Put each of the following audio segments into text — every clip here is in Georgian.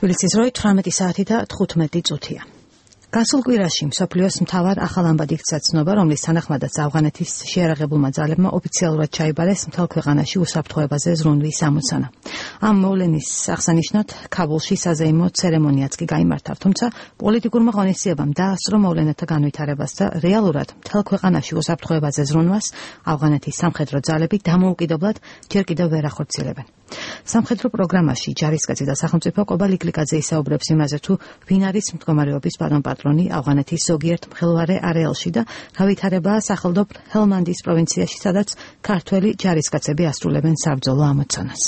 თბილისის როი 18 საათი და 15 წუთია. გასულ კვირაში მსოფლიოს მთავარ ახალ ამბად იქცა ცნობა, რომლის თანახმადაც ავღანეთის შეიარაღებულმა ძალებმა ოფიციალურად ჩაიბარეს მთელ ქვეყანაში უსაფრთხოებაზე ზრუნვის ამოცანა. ამ მოვლენის აღსანიშნად ქაბულში საზეიმო ცერემონიაც კი გაიმართა, თუმცა პოლიტიკურმა ღონისძიებამ დაასწრო მოვლენათა განვითარებას და რეალურად მთელ ქვეყანაში უსაფრთხოებაზე ზრუნვას ავღანეთის სამხედრო ძალები დამოუკიდებლად ჯერ კიდევ ვერ ახორციელებენ. სამხედრო პროგრამაში ჯარისკაცი და სახელმწიფო ყობალ იკლიკაძე ისაუბრებს იმაზე, თუ ვინ არის მდგომარეობის პატრონი ავღანეთის ზოგიერთ მხელვარე არეალში და გავითარებაა სახელმწიფო ჰელმანდის პროვინციაში, სადაც ქართველი ჯარისკაცები ასრულებენ საბრძოლო ამოცანას.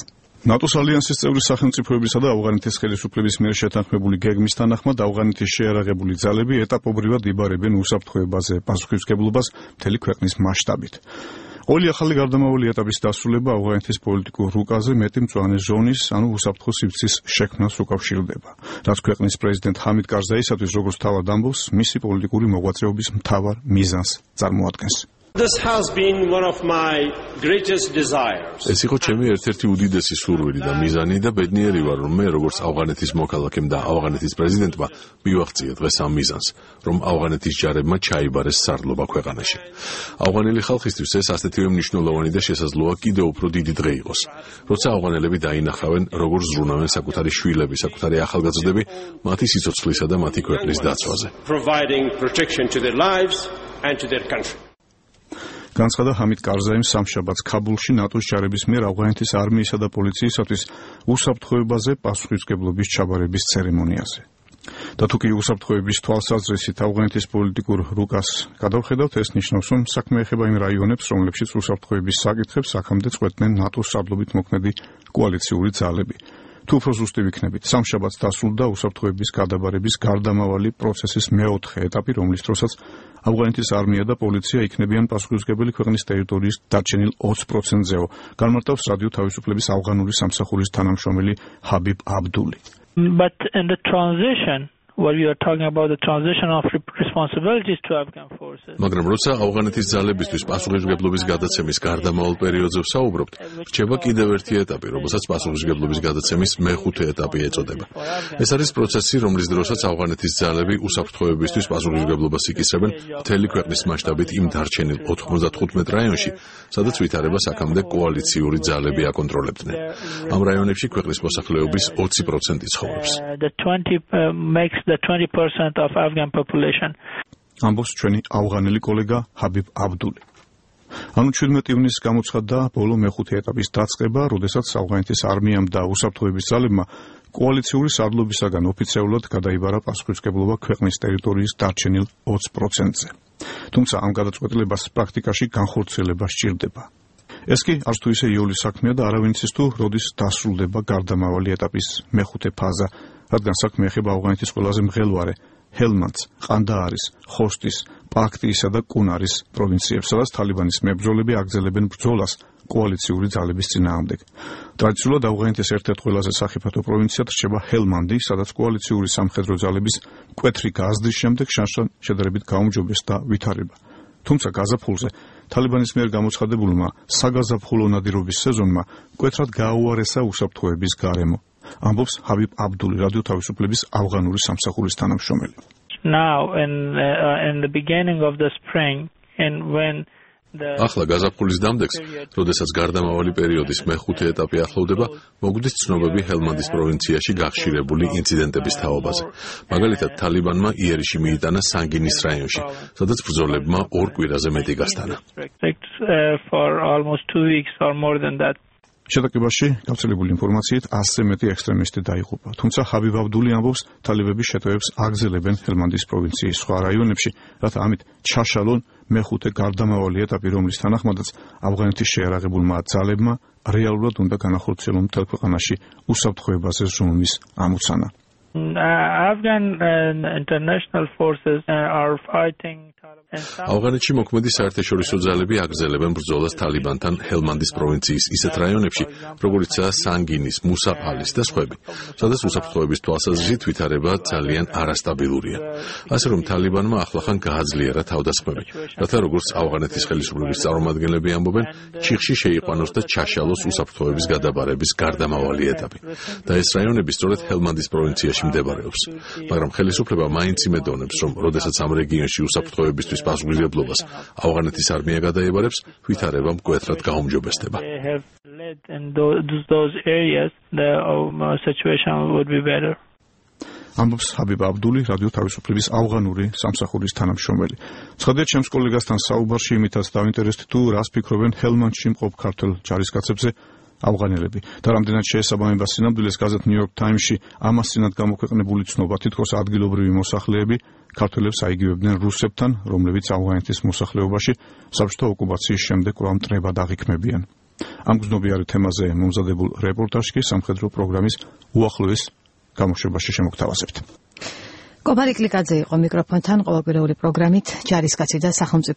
ნატოს ალიანსის წევრი სახელმწიფოებისა და ავღანეთის ხელისუფლების მიერ შეთანხმებული გეგმის თანახმად ავღანეთის შეიარაღებული ძალები ეტაპობრივად იბარებენ უსაფრთხოებაზე პასუხისმგებლობას მთელი ქვეყნის მასშტაბით. Όλη ახალი გარდამავალი ეტაპის დასრულება ავღანეთის პოლიტიკურ რუკაზე მეტი მწვანე ზონის, ანუ უსაფრთხო სივრცის შექმნას უკავშირდება. რაც ქვეყნის პრეზიდენტ ჰამიდ კარზაისათვის, როგორც თავად ამბობს, მისი პოლიტიკური მოღვაწეობის მთავარ მიზანს წარმოადგენს. ეს იყო ჩემი ერთ-ერთი უდიდესი სურვილი და მიზანი და ბედნიერი ვარ, რომ მე როგორც ავღანეთის მოქალაქემ და ავღანეთის პრეზიდენტმა მივაღწია დღეს ამ მიზანს, რომ ავღანეთის ჯარებმა ჩაიბარეს სარდლობა ქვეყანაში. ავღანელი ხალხისთვის ეს ასეთივე მნიშვნელოვანი და შესაძლოა კიდევ უფრო დიდი დღე იყოს, როცა ავღანელები დაინახავენ, როგორ ზრუნავენ საკუთარი შვილები, საკუთარი ახალგაზრდები მათი სიცოცხლისა და მათი ქვეყნის დაცვაზე. განცხადა ჰამიდ კარზაიმ სამშაბათს ქაბულში ნატოს ჯარების მიერ ავღანეთის არმიისა და პოლიციისათვის უსაფრთხოებაზე პასუხისმგებლობის ჩაბარების ცერემონიაზე. და თუ კი უსაფრთხოების თვალსაზრისით ავღანეთის პოლიტიკურ რუკას გადავხედავთ, ეს ნიშნავს, რომ საქმე ეხება იმ რაიონებს, რომლებშიც უსაფრთხოების საკითხებს აქამდე წყვეტდნენ ნატოს სარდლობით მოქმედი კოალიციური ძალები. თუ უფრო ზუსტი ვიქნებით, სამშაბათს დასრულდა უსაფრთხოების გადაბარების გარდამავალი პროცესის მეოთხე ეტაპი, რომლის დროსაც ავღანეთის არმია და პოლიცია იქნებიან პასუხისმგებელი ქვეყნის ტერიტორიის დარჩენილ 20%-ზეო, განმარტავს რადიო თავისუფლების ავღანური სამსახურის თანამშრომელი ჰაბიბ აბდული. But in the transition, what we are talking about the transition of responsibilities to Afghan forces. მაგრამ როცა ავღანეთის ძალებისთვის პასუხისმგებლობის გადაცემის გარდამავალ პერიოდზე ვსაუბრობთ, რჩება კიდევ ერთი ეტაპი, რომელსაც პასუხისმგებლობის გადაცემის მეხუთე ეტაპი ეწოდება. ეს არის პროცესი, რომლის დროსაც ავღანეთის ძალები უსაფრთხოებისთვის პასუხისმგებლობას იკისრებენ მთელი ქვეყნის მასშტაბით იმ დარჩენილ 95 რაიონში, სადაც ვითარებას აქამდე კოალიციური ძალები აკონტროლებდნენ. ამ რაიონებში ქვეყნის მოსახლეობის 20% ცხოვრობს. The 20% of Afghan population. ამბობს ჩვენი ავღანელი კოლეგა ჰაბიბ აბდული. ანუ 17 ივნისს გამოცხადდა ბოლო მეხუთე ეტაპის დაწყება, როდესაც ავღანეთის არმიამ და უსაფრთხოების ძალებმა კოალიციური სარდლობისაგან ოფიციალურად გადაიბარა პასუხისმგებლობა ქვეყნის ტერიტორიის დარჩენილ 20%-ზე. თუმცა ამ გადაწყვეტილებას პრაქტიკაში განხორციელება სჭირდება. ეს კი არც თუ ისე იოლის საქმეა და არავინ იცის თუ როდის დასრულდება გარდამავალი ეტაპის მეხუთე ფაზა, რადგან საქმე ეხება ავღანეთის ყველაზე მღელვარე ჰელმანდს, ყანდაარის, ხოსტის, პაქტიისა და კუნარის პროვინციებს, სადაც თალიბანის მებრძოლები აგრძელებენ ბრძოლას კოალიციური ძალების წინააღმდეგ. ტრადიციულად ავღანეთის ერთ-ერთ ყველაზე სახიფათო პროვინციად რჩება ჰელმანდი, სადაც კოალიციური სამხედრო ძალების მკვეთრი გაზრდის შემდეგ შანსთან შედარებით გაუმჯობეს და ვითარება. თუმცა გაზაფხულზე თალიბანის მიერ გამოცხადებულმა საგაზაფხულო ნადირობის სეზონმა მკვეთრად გააუარესა უსაფრთხოების გარემო. ამბობს ჰაბიბ აბდული, რადიო თავისუფლების ავღანური სამსახურის თანამშრომელი. Now in the beginning of the spring and when ახლა გაზაფხულის დამდეგს, როდესაც გარდამავალი პერიოდის მეხუთე ეტაპი ახლოვდება, მოგვდის ცნობები ჰელმანდის პროვინციაში გახშირებული ინციდენტების თაობაზე. მაგალითად, თალიბანმა იერიში მიიტანა სანგინის რაიონში, სადაც ბრძოლებმა 2 კვირაზე მეტი გასტანა. For almost 2 weeks or more than that. შეტაკებაში გავრცელებული ინფორმაციით 100-ზე მეტი ექსტრემისტი დაიღუპა. თუმცა ჰაბიბ აბდული ამბობს, თალებები შეტევებს აგრძელებენ ჰელმანდის პროვინციის სხვა რაიონებში, რათა ამით ჩაშალონ მეხუთე გარდამავალი ეტაპი, რომლის თანახმადაც ავღანეთის შეიარაღებულმა ძალებმა რეალურად უნდა განახორციელონ მთელ ქვეყანაში უსაფრთხოებაზე ზრუნვის Afghan international forces are fighting ავღანეთში მოქმედი საერთაშორისო ძალები აგრძელებენ ბრძოლას თალიბანთან ჰელმანდის პროვინციის ისეთ რაიონებში, როგორიცაა სანგინის, მუსაფალის და სხვები, სადაც უსაფრთხოების თვალსაზრისით ვითარება ძალიან არასტაბილურია. ასე რომ თალიბანმა ახლახან გააძლიერა თავდასხმები, რათა როგორც ავღანეთის ხელისუფლების წარმომადგენლები ამბობენ, ჩიხში შეიყვანოს და ჩაშალოს უსაფრთხოების გადაბარების გარდამავალი ეტაპი. და ეს რაიონები სწორედ ჰელმანდის პროვინციაში მდებარეობს. მაგრამ ხელისუფლება მაინც იმედოვნებს, რომ როდესაც ამ რეგიონში უსაფრთხოებისთვის პასუხისმგებლობას ავღანეთის არმია გადაებარებს, ვითარება მკვეთრად გაუმჯობესდება. ამბობს ჰაბიბ აბდული, რადიო თავისუფლების ავღანური სამსახურის თანამშრომელი. ცხადია, ჩემს კოლეგასთან საუბარში იმითაც დავინტერესდი, თუ რას ფიქრობენ ჰელმანდში მყოფ ქართველ ჯარისკაცებზე ავღანელები და რამდენად შეესაბამება სინამდვილეს გაზეთ New York Times-ში ამას წინათ გამოქვეყნებული ცნობა, თითქოს ადგილობრივი მოსახლეები ქართველებს აიგივებდნენ რუსებთან, რომლებიც ავღანეთის მოსახლეობაში საბჭოთა ოკუპაციის შემდეგ კვლავ მტრებად აღიქმებიან. ამ გზნობიარე თემაზე მომზადებულ რეპორტაჟში სამხედრო პროგრამის უახლოეს გამოშვებაში შემოგთავაზებთ. კობარი კლიკაძე იყო მიკროფონთან, ყოველკვირეული პროგრამით ჯარისკაცი და სახელმწიფო